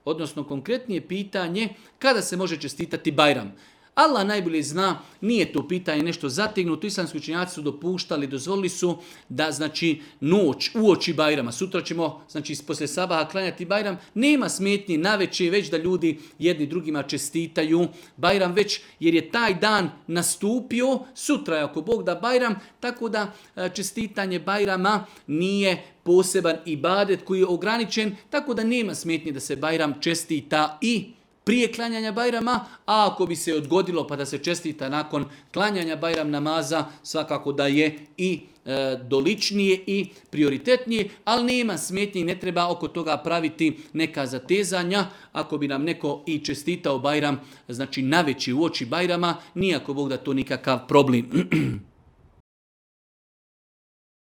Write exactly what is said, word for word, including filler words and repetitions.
odnosno konkretnije pitanje kada se može čestitati Bajram. Allah najbolje zna, nije to pitanje nešto zategnuto, islamski učenjaci su dopuštali, dozvolili su da znači noć, uoči Bajrama, sutra ćemo znači poslije sabaha klanjati Bajram, nema smetnje navečer već da ljudi jedni drugima čestitaju Bajram već jer je taj dan nastupio, sutra je ako Bog da Bajram, tako da čestitanje Bajrama nije poseban ibadet koji je ograničen, tako da nema smetnje da se Bajram čestita i prije klanjanja Bajrama, a ako bi se odgodilo pa da se čestita nakon klanjanja Bajram namaza, svakako da je i e, doličnije i prioritetnije, ali nema smetnje i ne treba oko toga praviti neka zatezanja. Ako bi nam neko i čestitao Bajram, znači naveći u oči Bajrama, nijako Bog da to nikakav problem.